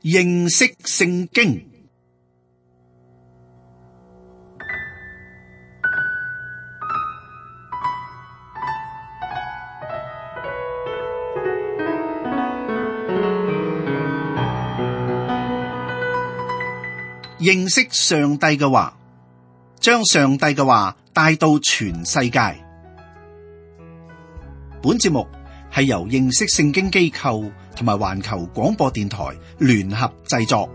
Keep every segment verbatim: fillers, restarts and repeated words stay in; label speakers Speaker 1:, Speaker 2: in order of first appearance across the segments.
Speaker 1: 認識聖經。認識上帝嘅話，將上帝嘅話帶到全世界。本節目係由認識聖經機構同埋環球廣播電台聯合製作。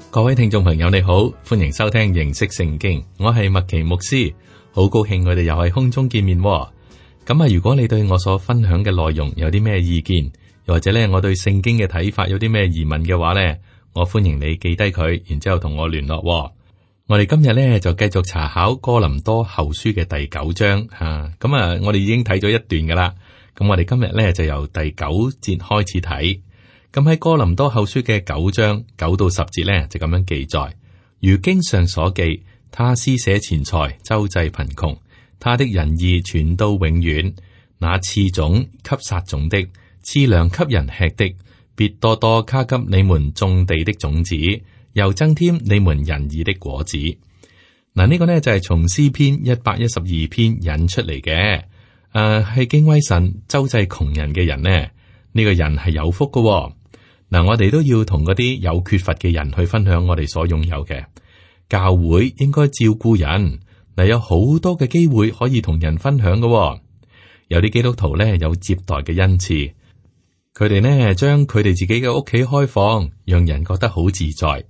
Speaker 2: 各位聽眾朋友你好，歡迎收聽認識聖經，我係麥奇牧師，好高興我哋又喺空中見面。咁啊，如果你對我所分享嘅內容有啲咩意見，又或者咧我對聖經嘅睇法有啲咩疑問嘅話咧，我歡迎你記低佢，然之後同我聯絡。我哋今日咧就繼續查考哥林多後書嘅第九章吓，咁啊，我哋已經睇咗一段噶啦，咁我哋今日咧就由第九節開始睇。咁喺哥林多後書嘅九章九到十節呢，就咁樣記載，如經上所記，他施捨錢財，周濟貧窮，他的仁義傳到永遠。那賜種給撒種的，賜糧給人吃的，必多多加給你們種地的種子，又增添你們仁義的果子。嗱，呢個呢就係從詩篇一百一十二篇引出嚟嘅，誒、呃、係敬畏神周濟窮人嘅人呢，呢、這個人係有福噶、哦。嗱，我哋都要同嗰啲有缺乏嘅人去分享我哋所擁有嘅。教會應該照顧人，嗱，有好多嘅機會可以同人分享嘅。有啲基督徒咧有接待嘅恩賜，佢哋呢將佢哋自己嘅屋企開放，讓人覺得好自在。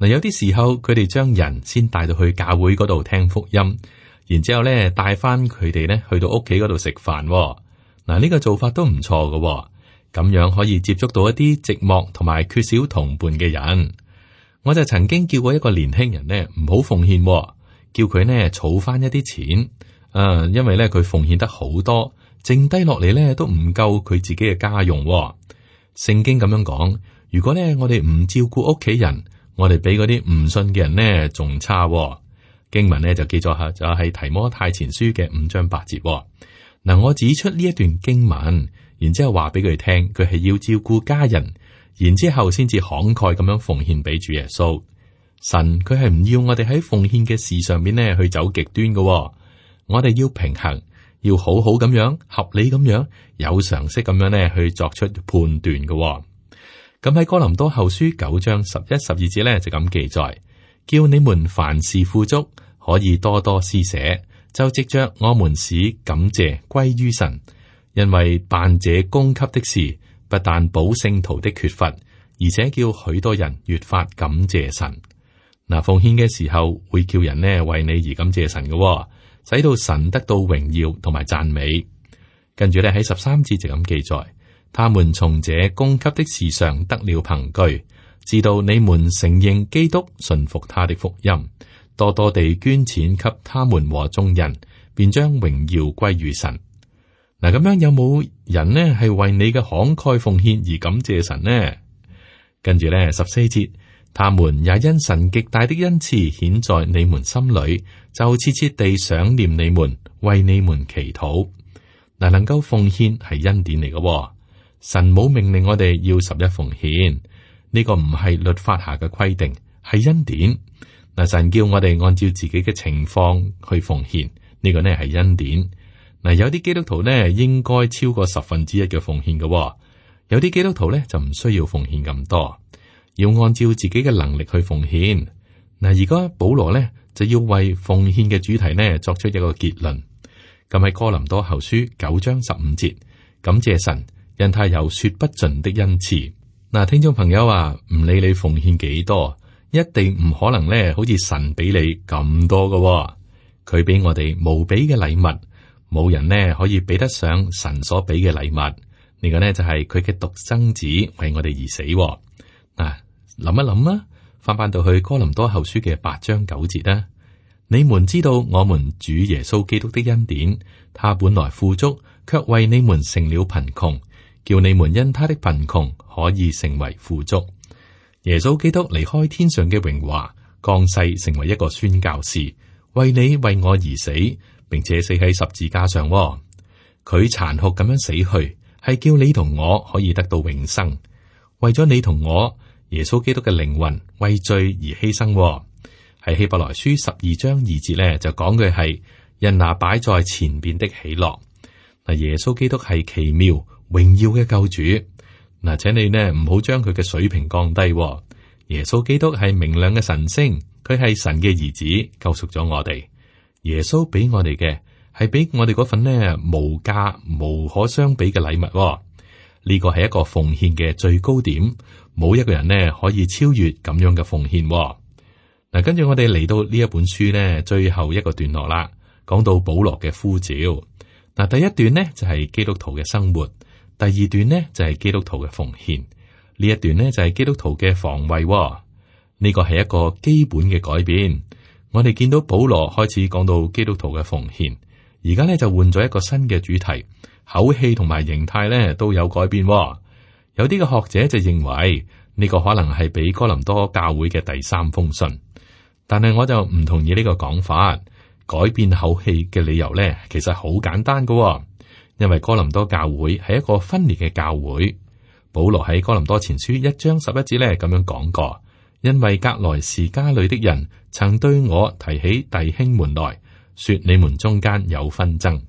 Speaker 2: 嗱，有啲時候佢哋將人先帶到去教會嗰度聽福音，然之後咧帶翻佢哋咧去到屋企嗰度食飯。嗱，呢個做法都唔錯嘅。咁樣可以接觸到一啲寂寞同埋缺少同伴嘅人。我就曾經叫過一個年輕人呢唔好奉獻，叫佢呢儲翻一啲錢。啊，因為咧佢奉獻得好多，剩低落嚟咧都唔夠佢自己嘅家用。聖經咁樣講，如果咧我哋唔照顧屋企人，我哋比嗰啲唔信嘅人呢仲差。經文呢就記咗下，就係提摩太前書嘅五章八節。嗱，我指出呢一段經文。然之後話俾佢聽，佢係要照顧家人，然之後先至慷慨咁樣奉獻俾主耶穌。神佢係唔要我哋喺奉獻嘅事上面咧去走極端嘅。我哋要平衡，要好好咁樣合理咁樣有常識咁樣咧去作出判斷嘅。咁喺哥林多後書九章十一、十二節咧就咁記載，叫你們凡事富足，可以多多施捨，就藉着我們使感謝歸於神。因為辦這供給的事，不但補聖徒的缺乏，而且叫許多人越發感謝神。嗱，奉獻嘅時候會叫人呢為你而感謝神嘅，使到神得到榮耀同埋讚美。跟住咧喺十三節就咁記載，他們從這供給的事上得了憑據，知道你們承認基督，信服他的福音，多多地捐錢給他們和眾人，便將榮耀歸於神。嗱，咁樣有冇人呢係為你嘅慷慨奉獻而感謝神呢？跟住咧十四節，他們也因神極大的恩賜顯在你們心裏，就切切地想念你們，為你們祈禱。嗱，能夠奉獻係恩典嚟嘅，神冇命令我哋要十一奉獻，呢個唔係律法下嘅規定，係恩典。嗱，神叫我哋按照自己嘅情況去奉獻，呢個呢係恩典。嗱，有啲基督徒呢應該超過十分之一嘅奉獻嘅，有啲基督徒呢就唔需要奉獻咁多，要按照自己嘅能力去奉獻。嗱，而家保羅呢就要為奉獻嘅主題呢作出一個結論。咁喺哥林多後書九章十五節，感謝神，因他有說不盡的恩賜。嗱，聽眾朋友啊，唔理你奉獻幾多，一定唔可能呢好似神俾你咁多嘅，佢俾我哋無比嘅禮物。冇人呢可以比得上神所俾嘅禮物，呢、這個呢就係佢嘅獨生子為我哋而死。嗱、啊，諗一諗啦，翻翻到去哥林多後書嘅八章九節啦。你們知道我們主耶穌基督的恩典，他本來富足，卻為你們成了貧窮，叫你們因他的貧窮可以成為富足。耶穌基督離開天上嘅榮華，降世成為一個宣教士，為你為我而死，並且死喺十字架上。佢殘酷咁樣死去，係叫你同我可以得到永生。為咗你同我，耶穌基督嘅靈魂為罪而犧牲。喺希伯來書十二章二節咧，就講嘅係人拿擺在前邊的喜樂。嗱，耶穌基督係奇妙榮耀嘅救主。嗱，請你呢唔好將佢嘅水平降低。耶穌基督係明亮嘅神星，佢係神嘅兒子，救贖咗我哋。耶穌俾我哋嘅係俾我哋嗰份呢無價無可相比嘅禮物。呢個係一個奉獻嘅最高點，冇一個人呢可以超越咁樣嘅奉獻。嗱，跟住我哋嚟到呢一本書呢最後一個段落啦，講到保羅嘅呼召。嗱，第一段呢就係基督徒嘅生活，第二段呢就係基督徒嘅奉獻，呢一段呢就係基督徒嘅防衛。呢個係一個基本嘅改變。我哋見到保羅開始講到基督徒嘅奉獻，而家呢就換咗一個新嘅主題，口氣同埋形態呢都有改變。有啲嘅學者就認為呢個可能係俾哥林多教會嘅第三封信。但係我就唔同意呢個講法，改變口氣嘅理由呢，其實好簡單噶，因為哥林多教會係一個分裂嘅教會。保羅喺哥林多前書一章十一節呢咁樣講過，因為革來氏家裏的人曾對我提起弟兄們來，說你們中間有紛爭。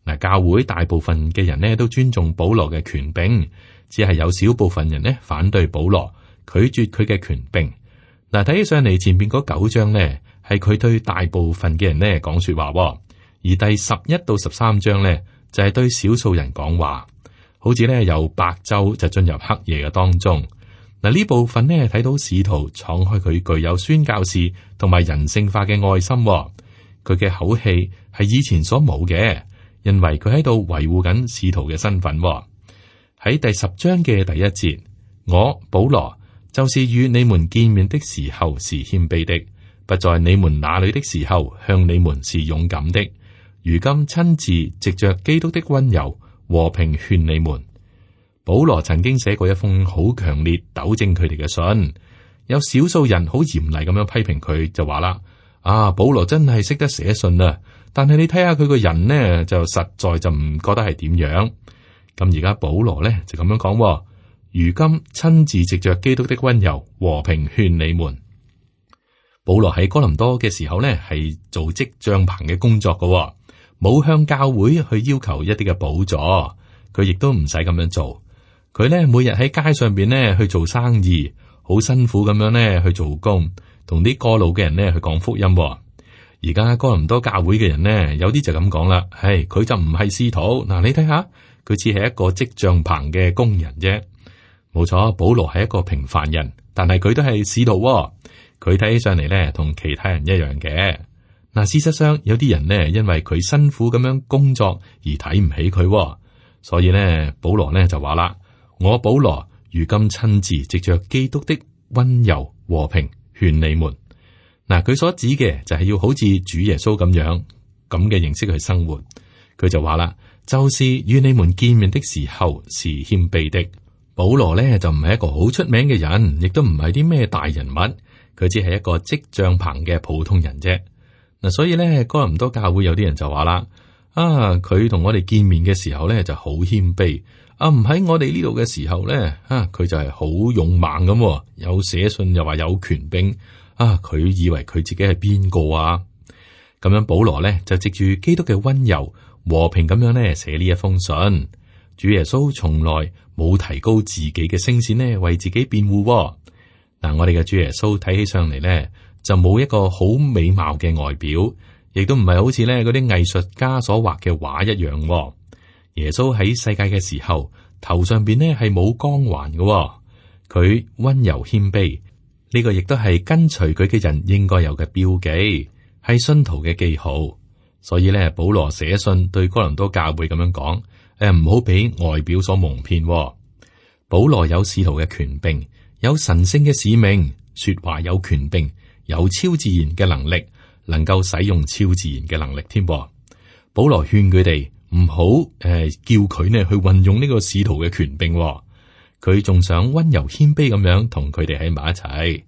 Speaker 2: 嗱，教會大部分嘅人呢都尊重保羅嘅權柄，只係有少部分人呢反對保羅，拒絕佢嘅權柄。嗱，睇起上嚟前邊嗰九章呢，係佢對大部分嘅人呢講說話，而第十一到十三章呢，就係對少數人講話，好似呢由白晝就進入黑夜嘅當中。嗱，呢部分呢睇到使徒敞開佢具有宣教士同埋人性化嘅愛心，佢嘅口氣係以前所冇嘅，因為佢喺度維護緊使徒嘅身份。喺第十章嘅第一節，我保羅，就是與你們見面的時候是謙卑的，不在你們那裏的時候向你們是勇敢的。如今親自藉着基督的溫柔和平勸你們。保羅曾經寫過一封好強烈糾正佢哋嘅信，有少數人好嚴厲咁樣批評佢，就話啦：啊，保羅真係識得寫信啊，但係你睇下佢個人呢，就實在就唔覺得係點樣。咁而家保羅呢，就咁樣講。如今親自藉着基督的溫柔和平勸你們。保羅喺哥林多嘅時候呢，係做織帳棚嘅工作嘅，冇向教會去要求一啲嘅補助，佢亦都唔使咁樣做。佢呢每日喺街上邊呢去做生意，好辛苦咁樣呢去做工，同啲過路嘅人呢去講福音。而家哥林多教會嘅人呢，有啲就咁講啦，係佢就唔係使徒。嗱，你睇下，佢只係一個織帳棚嘅工人啫。冇錯，保羅係一個平凡人，但係佢都係使徒喎。佢睇起上嚟咧，同其他人一樣嘅。嗱，事實上有啲人呢，因為佢辛苦咁樣工作而睇唔起佢喎，所以呢，保羅呢就話啦：我保羅如今親自藉着基督的溫柔和平勸你們。嗱，佢所指嘅就係要好似主耶穌咁樣咁嘅形式去生活。佢就話啦，就是與你們見面的時候是謙卑的。保羅咧就唔係一個好出名嘅人，亦都唔係啲咩大人物，佢只係一個織帳棚嘅普通人啫。嗱，所以咧哥林多教會有啲人就話啦：啊，佢同我哋見面嘅時候咧就好謙卑，啊唔喺我哋呢度嘅時候咧，啊佢就係好勇猛咁，有寫信又話有權柄，啊佢以為佢自己係邊個啊？咁樣保羅咧就藉住基督嘅溫柔和平咁樣咧寫呢一封信。主耶穌從來冇提高自己嘅聲線呢，為自己辯護。嗱，我哋嘅主耶穌睇起上嚟咧，就冇一個好美貌嘅外表，亦都唔係好似咧嗰啲藝術家所畫嘅畫一樣。耶穌喺世界嘅時候，頭上邊呢係冇光環嘅，佢溫柔謙卑，呢個亦都係跟隨佢嘅人應該有嘅標記，係信徒嘅記號。所以咧，保羅寫信對哥林多教會咁樣講。誒，唔好俾外表所蒙騙。保羅有使徒嘅權柄，有神聖嘅使命，說話有權柄，有超自然嘅能力，能夠使用超自然嘅能力添。保羅勸佢哋唔好誒，叫佢呢去運用呢個使徒嘅權柄。佢仲想溫柔謙卑咁樣同佢哋喺埋一齊。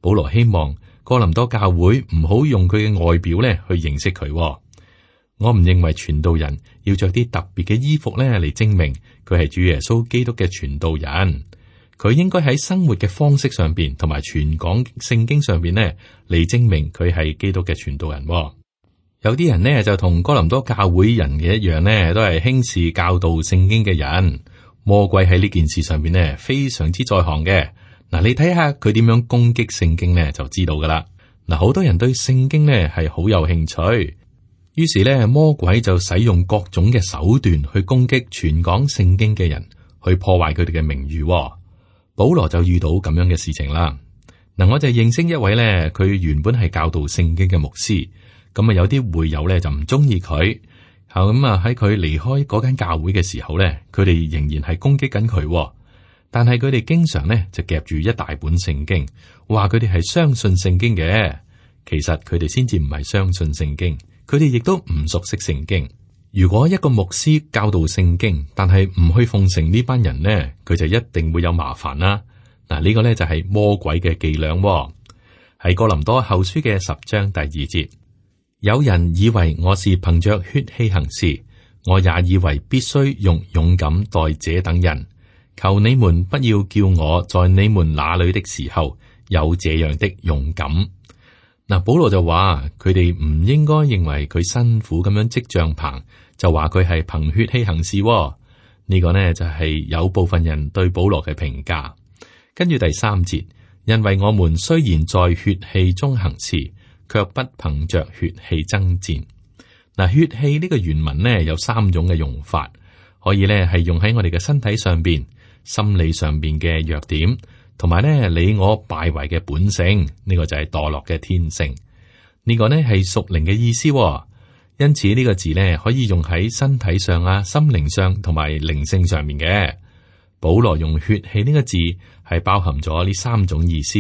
Speaker 2: 保羅希望哥林多教會唔好用佢嘅外表咧去認識佢。我唔認為傳道人要着啲特別嘅衣服咧嚟證明佢係主耶穌基督嘅傳道人。佢應該喺生活嘅方式上邊，同埋傳講聖經上邊呢嚟證明佢係基督嘅傳道人。有啲人呢就同哥林多教會人嘅一樣呢，都係輕視教導聖經嘅人。魔鬼喺呢件事上邊呢非常之在行嘅。嗱，你睇下佢點樣攻擊聖經呢，就知道噶啦。嗱，好多人對聖經呢係好有興趣，於是呢魔鬼就使用各種嘅手段去攻擊傳講聖經嘅人，去破壞佢哋嘅名譽。保羅就遇到咁樣嘅事情啦。嗱，我就認識一位呢，佢原本係教導聖經嘅牧師，咁啊有啲會友呢就唔中意佢，後咁啊喺佢離開嗰間教會嘅時候呢，佢哋仍然係攻擊緊佢。但係佢哋經常咧就夾住一大本聖經，話佢哋係相信聖經嘅。其實佢哋先至唔係相信聖經，佢哋亦都唔熟悉聖經。如果一個牧師教導聖經，但係唔去奉承呢班人呢，佢就一定會有麻煩啦。嗱，呢個咧就係魔鬼嘅伎倆。喺哥林多後書嘅十章第二節，有人以為我是憑着血氣行事，我也以為必須用勇敢待這等人。求你們不要叫我在你們那裏的時候有這樣的勇敢。嗱，保羅就話佢哋唔應該認為佢辛苦咁樣織帳棚，就話佢係憑血氣行事。呢個呢就係有部分人對保羅嘅評價。跟住第三節，因為我們雖然在血氣中行事，卻不憑着血氣爭戰。嗱，血氣呢個原文呢有三種嘅用法，可以呢係用喺我哋嘅身體上邊、心理上邊嘅弱點，同埋咧你我敗壞嘅本性，呢個就係墮落嘅天性。呢個呢係屬靈嘅意思，因此呢個字呢可以用喺身體上啊、心靈上同埋靈性上面嘅。保羅用血氣呢個字係包含咗呢三種意思，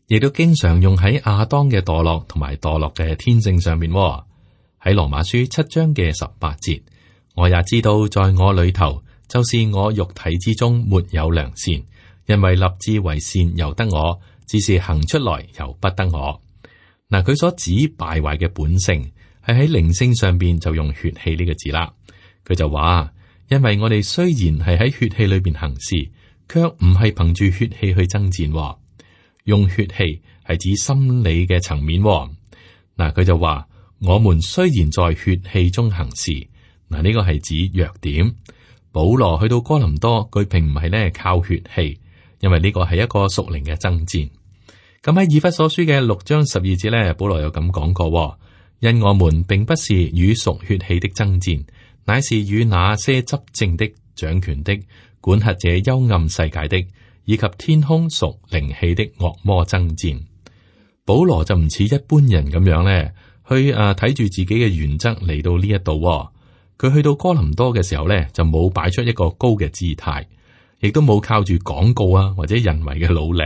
Speaker 2: 亦都經常用喺亞當嘅墮落同埋墮落嘅天性上面。喺羅馬書七章嘅十八節，我也知道在我裏頭，就是我肉體之中沒有良善，因為立志為善由得我，只是行出來由不得我。嗱，佢所指敗壞嘅本性係喺靈性上邊就用血氣呢個字啦。佢就話，因為我哋雖然係喺血氣裏邊行事，卻唔係憑住血氣去爭戰。用血氣係指心理嘅層面。嗱，佢就話，我們雖然在血氣中行事，嗱，呢個係指弱點。保羅去到哥林多，佢並唔係咧靠血氣，因為呢個係一個屬靈嘅爭戰。咁喺以弗所書嘅六章十二節咧，保羅有咁講過：因我們並不是與屬血氣的爭戰，乃是與那些執政的、掌權的、管轄這幽暗世界的，以及天空屬靈氣的惡魔爭戰。保羅就唔似一般人咁樣咧，去誒睇住自己嘅原則嚟到呢一度。佢去到哥林多嘅時候咧，就冇擺出一個高嘅姿態，亦都冇靠住廣告啊或者人為嘅努力。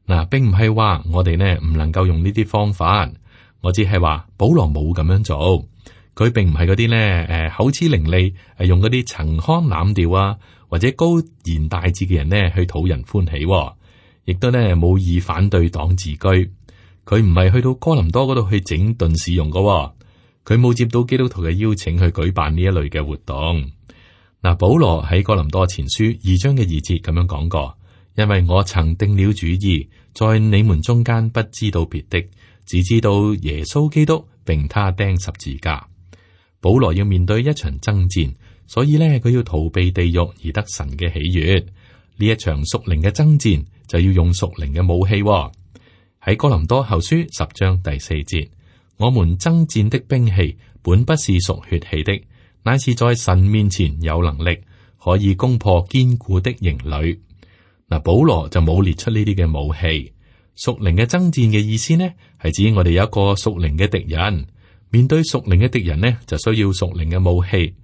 Speaker 2: 嗱，並唔係話我哋呢唔能夠用呢啲方法，我只係話保羅冇咁樣做。佢並唔係嗰啲呢誒口齒伶俐，係用嗰啲陳腔濫調啊或者高言大志嘅人呢去討人歡喜，亦都呢冇以反對黨自居。佢唔係去到哥林多嗰度去整頓市容噶。佢冇接到基督徒嘅邀請去舉辦呢一類嘅活動。嗱，保羅喺哥林多前書二章嘅二節咁樣講過，因為我曾定了主意，在你們中間不知道別的，只知道耶穌基督並他釘十字架。保羅要面對一場爭戰，所以呢，佢要逃避地獄而得神嘅喜悅。呢一場屬靈嘅爭戰就要用屬靈嘅武器。喺哥林多後書十章第四節。我們爭戰的兵器本不是屬血氣的，乃是在神面前有能力，可以攻破堅固的營壘。嗱，保羅就冇列出呢啲嘅武器。屬靈嘅爭戰嘅意思呢，係指我哋有一個屬靈嘅敵人，面對屬靈嘅敵人呢，就需要屬靈嘅武器。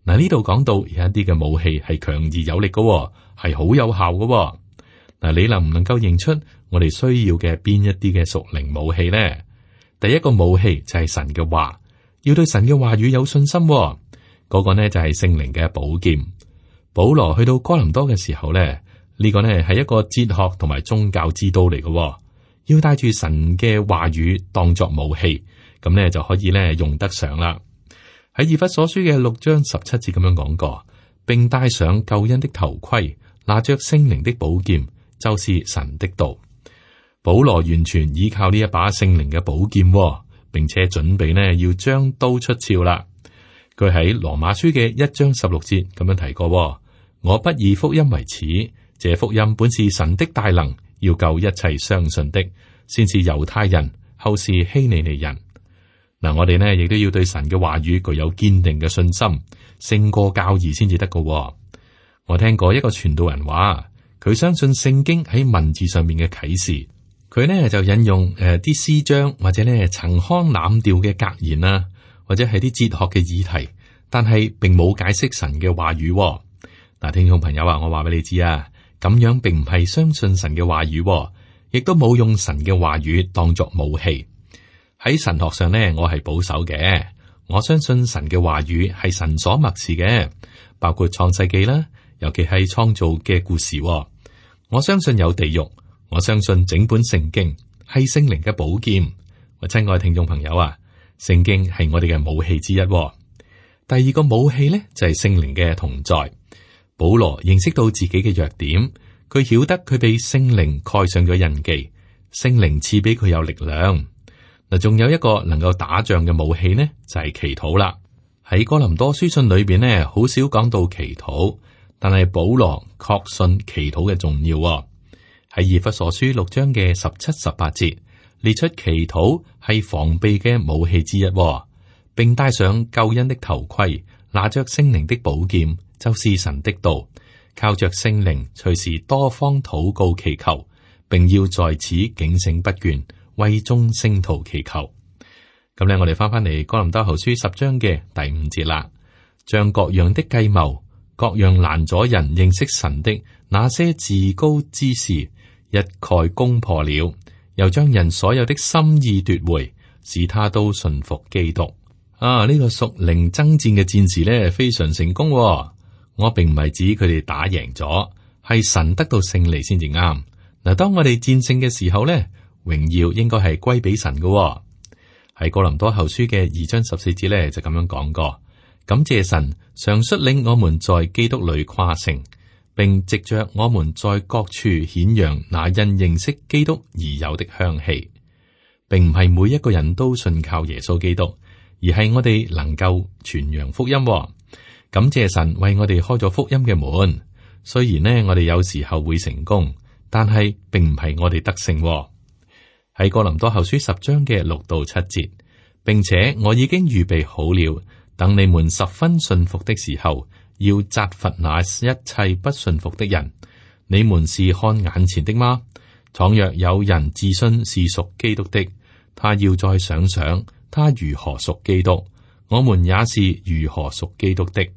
Speaker 2: 嗱，呢度講到有一啲嘅武器係強而有力嘅，係好有效嘅。嗱，你能唔能夠認出我哋需要嘅邊一啲嘅屬靈武器呢？第一個武器就係神嘅話，要對神嘅話語有信心。嗰、那個呢就係聖靈嘅寶劍。保羅去到哥林多嘅時候呢，呢、這個呢係一個哲學同埋宗教之都嚟嘅，要帶住神嘅話語當作武器，咁咧就可以咧用得上啦。喺以弗所書嘅六章十七節咁樣講過，並戴上救恩的頭盔，拿着聖靈的寶劍，就是神的道。保羅完全依靠呢一把聖靈嘅寶劍，並且準備呢要將刀出鞘啦。佢喺羅馬書嘅一章十六節咁樣提過：我不以福音為恥，這福音本是神的大能，要救一切相信的，先是猶太人，後是希利尼人。嗱，我哋呢亦都要對神嘅話語具有堅定嘅信心，勝過教義先至得㗎。我聽過一個傳道人話，佢相信聖經喺文字上面嘅啟示，佢呢就引用誒啲詩章或者呢陳腔濫調嘅格言啊，或者係啲哲學嘅議題，但係並冇解釋神嘅話語。嗱，聽眾朋友啊，我話俾你知啊，咁樣並唔係相信神嘅話語，亦都冇用神嘅話語當作武器。喺神學上呢，我係保守嘅，我相信神嘅話語係神所默示嘅，包括創世記啦，尤其係創造嘅故事。我相信有地獄，我相信整本聖經係聖靈嘅寶劍。我親愛聽眾朋友啊，聖經係我哋嘅武器之一。第二個武器呢，就係聖靈嘅同在。保羅認識到自己嘅弱點，佢曉得佢被聖靈蓋上咗印記，聖靈賜俾佢有力量。嗱，仲有一個能夠打仗嘅武器呢，就係祈禱啦。喺哥林多書信裏邊呢，好少講到祈禱，但係保羅確信祈禱嘅重要。喺以弗所書六章嘅十七、十八節列出祈禱係防備嘅武器之一，並戴上救恩的頭盔，拿着聖靈的寶劍，就是神的道，靠着聖靈隨時多方禱告祈求，並要在此警醒不倦，為眾聖徒祈求。咁咧，我哋翻翻嚟哥林多後書十章嘅第五節啦，將各樣的計謀、各樣攔阻人認識神的那些自高之事一概攻破了，又將人所有的心意奪回，使他都順服基督。啊，呢、這個屬靈爭戰嘅戰士咧，非常成功、哦。我並唔係指佢哋打贏咗，係神得到勝利先至啱。嗱，當我哋戰勝嘅時候咧，榮耀應該係歸俾神嘅、哦。喺哥林多後書嘅二章十四節咧就咁樣講過，感謝神常率領我們在基督裏誇勝，並藉着我們在各處顯揚那因認識基督而有的香氣，並唔係每一個人都信靠耶穌基督，而係我哋能夠傳揚福音、哦。感謝神為我哋開咗福音嘅門，雖然呢我哋有時候會成功，但係並唔係我哋得勝、哦。喺哥林多後書十章嘅六到七節，並且我已經預備好了，等你們十分信服的時候，要責罰那一切不信服的人。你們是看眼前的嗎？倘若有人自信是屬基督的，他要再想想他如何屬基督，我們也是如何屬基督的。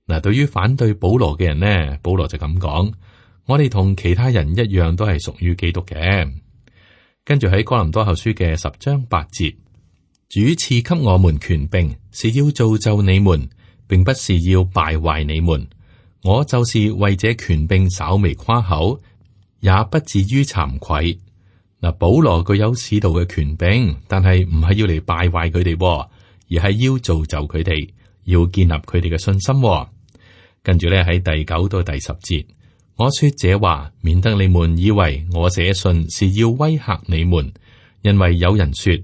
Speaker 2: 嗱，對於反對保羅嘅人呢，保羅就咁講：我哋同其他人一樣，都係屬於基督嘅。跟住喺哥林多後書嘅十章八節，主賜給我們權柄，是要造就你們，並不是要敗壞你們。我就是為這權柄稍微誇口，也不至於慚愧。嗱，保羅具有使徒嘅權柄，但係唔係要嚟敗壞佢哋，而係要造就佢哋，要建立佢哋嘅信心。跟住咧喺第九到第十節。我說這話，免得你們以為我寫信是要威嚇你們，因為有人說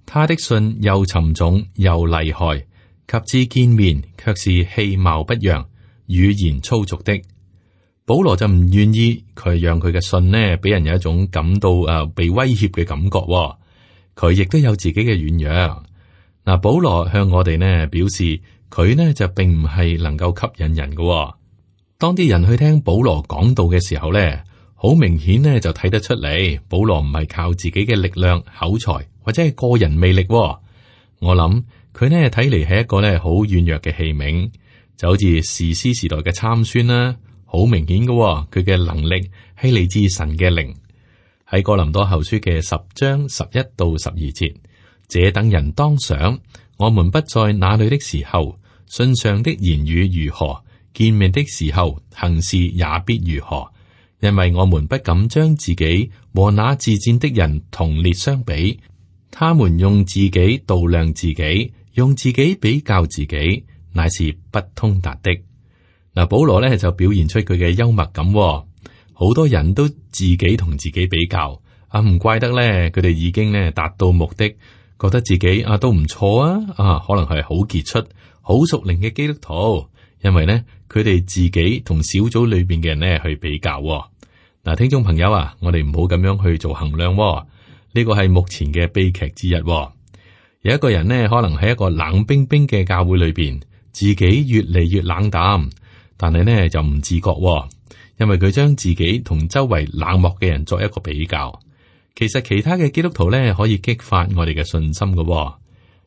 Speaker 2: 他的信又沉重又厲害，及至見面卻是氣貌不揚、語言粗俗的。保羅就唔願意佢讓佢嘅信呢，俾人有一種感到誒、呃、被威脅嘅感覺。佢亦都有自己嘅軟弱。嗱，保羅向我哋呢表示，佢呢就並唔係能夠吸引人嘅。當啲人去聽保羅講道嘅時候咧，好明顯咧就睇得出嚟，保羅唔係靠自己嘅力量、口才或者係個人魅力。我諗佢呢睇嚟係一個咧好軟弱嘅器皿，就好似士師時代嘅參孫啦，好明顯嘅，佢嘅能力係嚟自神嘅靈。喺哥林多後書嘅十章十一到十二節，這等人當想，我們不在那裏的時候，信上的言語如何，見面的時候行事也必如何。因為我們不敢將自己和那自薦的人同列相比，他們用自己度量自己，用自己比較自己，乃是不通達的。嗱，保羅咧就表現出佢嘅幽默感，好多人都自己同自己比較，啊唔怪得咧，佢哋已經咧達到目的，覺得自己啊都唔錯啊，啊可能係好傑出、好屬靈嘅基督徒，因為咧佢哋自己同小組裏邊嘅人咧去比較。嗱，聽眾朋友啊，我哋唔好咁樣去做衡量，呢個係目前嘅悲劇之一。有一個人呢，可能喺一個冷冰冰嘅教會裏邊，自己越嚟越冷淡，但係呢就唔自覺，因為佢將自己同周圍冷漠嘅人作一個比較。其實其他嘅基督徒呢，可以激發我哋嘅信心嘅。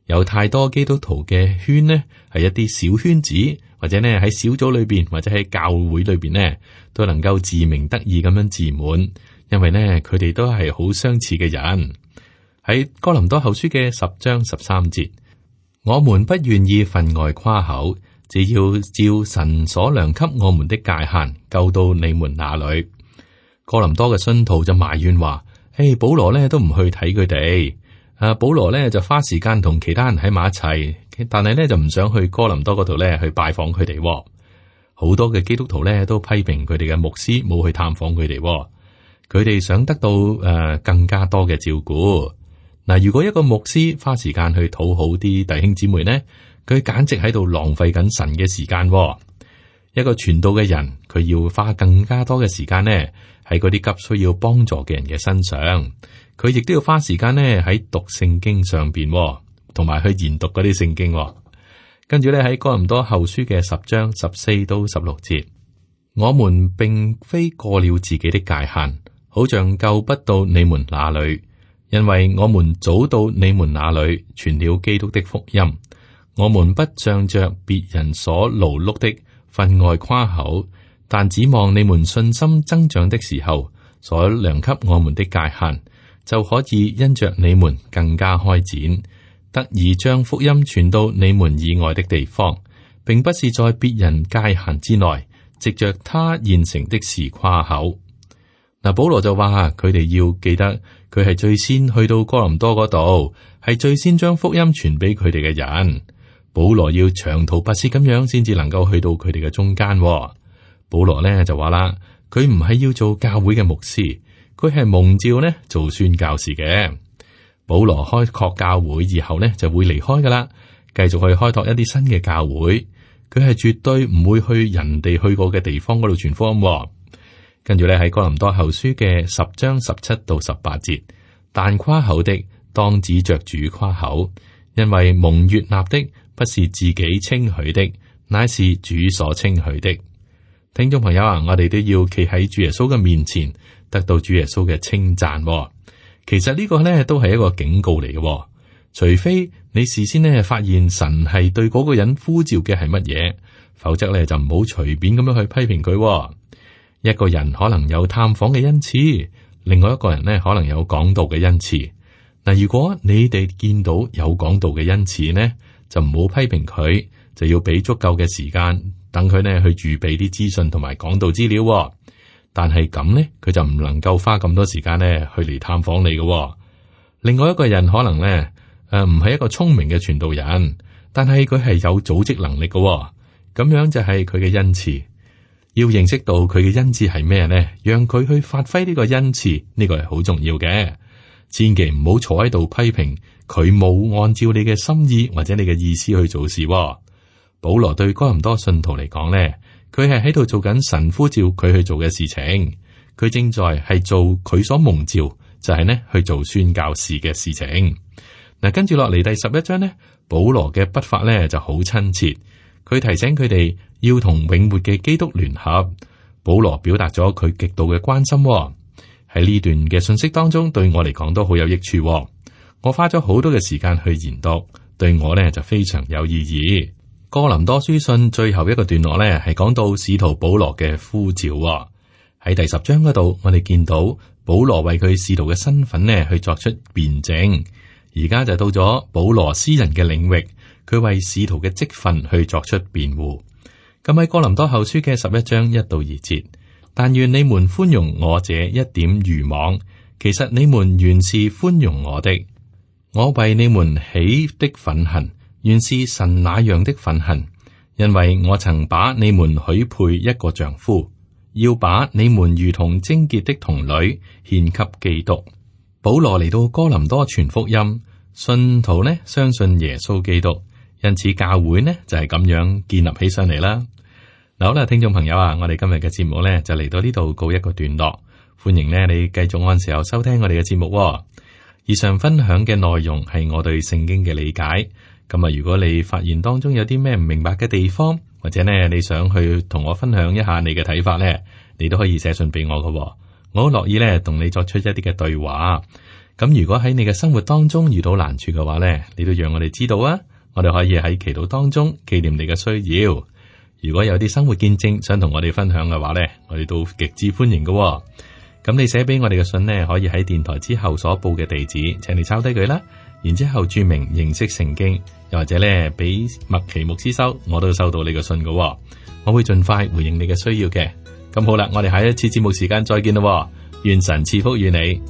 Speaker 2: 有太多基督徒嘅圈呢，係一啲小圈子，或者呢喺小組裏邊，或者喺教會裏邊呢，都能夠自鳴得意咁樣自滿，因為呢佢哋都係好相似嘅人。喺哥林多後書嘅十章十三節，我們不願意分外誇口，只要照神所量給我們的界限，救到你們那裏。哥林多嘅信徒就埋怨話：誒，保羅呢都唔去睇佢哋。啊，保羅咧就花時間同其他人喺埋一齊，但係咧就唔想去哥林多嗰度咧去拜訪佢哋。好多嘅基督徒咧都批評佢哋嘅牧師冇去探訪佢哋，佢哋想得到誒、呃、更加多嘅照顧。嗱，如果一個牧師花時間去討好啲弟兄姊妹呢，佢簡直喺度浪費緊神嘅時間。一個傳道嘅人，佢要花更加多嘅時間呢喺嗰啲急需要幫助嘅人嘅身上。佢亦都要花時間咧喺讀聖經上邊，同埋去研讀嗰啲聖經。跟住咧喺哥林多後書嘅十章十四到十六節，我們並非過了自己的界限，好像救不到你們那裏，因為我們早到你們那裏傳了基督的福音。我們不仗着別人所勞碌的分外誇口，但指望你們信心增長的時候，所量給我們的界限，就可以因着你們更加開展，得以將福音傳到你們以外的地方，並不是在別人界限之內，藉着他現成的事誇口。嗱，保羅就話佢哋要記得，佢係最先去到哥林多嗰度，係最先將福音傳俾佢哋嘅人。保羅要長途跋涉咁樣，先至能夠去到佢哋嘅中間。保羅咧就話啦，佢唔係要做教會嘅牧師。佢係蒙召呢做宣教士嘅。保羅開拓教會以後呢就會離開噶啦，繼續去開拓一啲新嘅教會。佢係絕對唔會去人哋去過嘅地方嗰度傳福音。跟住咧喺哥林多後書嘅十章十七到十八節，但誇口的當指着主誇口，因為蒙悅納的不是自己稱許的，乃是主所稱許的。聽眾朋友啊，我哋都要企喺主耶穌嘅面前，得到主耶穌嘅稱讚。其實呢個呢都係一個警告嚟嘅，除非你事先呢發現神係對嗰個人呼召嘅係乜嘢，否則呢就唔好隨便咁樣去批評佢。一個人可能有探訪嘅恩賜，另外一個人呢可能有講道嘅恩賜。嗱，如果你哋見到有講道嘅恩賜呢，就唔好批評佢，就要俾足夠嘅時間等佢呢去預備啲資訊同埋講道資料。但係咁呢，佢就唔能夠花咁多時間呢去嚟探訪你嘅。另外一個人可能呢，誒唔係一個聰明嘅傳道人，但係佢係有組織能力嘅，咁樣就係佢嘅恩賜。要認識到佢嘅恩賜係咩呢？讓佢去發揮呢個恩賜，呢個係好重要嘅。千祈唔好坐喺度批評佢冇按照你嘅心意或者你嘅意思去做事。保羅對哥林多信徒嚟講呢，佢係喺度做緊神呼召佢去做嘅事情，佢正在係做佢所蒙召，就係呢去做宣教士嘅事情。嗱，跟住落嚟第十一章呢，保羅嘅筆法呢就好親切，佢提醒佢哋要同永活嘅基督聯合。保羅表達咗佢極度嘅關心，喺呢段嘅信息當中，對我嚟講都好有益處。我花咗好多嘅時間去研讀，對我呢就非常有意義。哥林多書信最後一個段落呢，係講到使徒保羅嘅呼召。喺第十章嗰度，我哋見到保羅為佢使徒嘅身份呢去作出辯證。而家就到咗保羅私人嘅領域，佢為使徒嘅職分去作出辯護。咁喺哥林多後書嘅十一章一到二節，但願你們寬容我這一點愚妄，其實你們原是寬容我的。我為你們起的憤恨，原是神那樣的憤恨，因為我曾把你們許配一個丈夫，要把你們如同貞潔的童女獻給基督。保羅嚟到哥林多傳福音，信徒呢相信耶穌基督，因此教會呢就係咁樣建立起上嚟啦。嗱，好啦，聽眾朋友啊，我哋今日嘅節目呢就嚟到呢度告一個段落，歡迎呢你繼續按時候收聽我哋嘅節目。以上分享嘅內容係我對聖經嘅理解。咁啊，如果你發現當中有啲咩唔明白嘅地方，或者呢你想去同我分享一下你嘅睇法呢，你都可以寫信俾我㗎。我好樂意呢同你作出一啲嘅對話。咁如果喺你嘅生活當中遇到難處嘅話呢，你都讓我哋知道啊，我哋可以喺祈禱當中紀念你嘅需要。如果有啲生活見證想同我哋分享嘅話呢，我哋都極之歡迎㗎。咁你寫俾我哋嘅信呢，可以喺電台之後所報嘅地址，請你抄低佢啦。然之後注明認識聖經，又或者咧俾麥奇牧師收，我都收到你嘅信噶，我會盡快回應你嘅需要嘅。咁好啦，我哋下一次節目時間再見咯，願神賜福與你。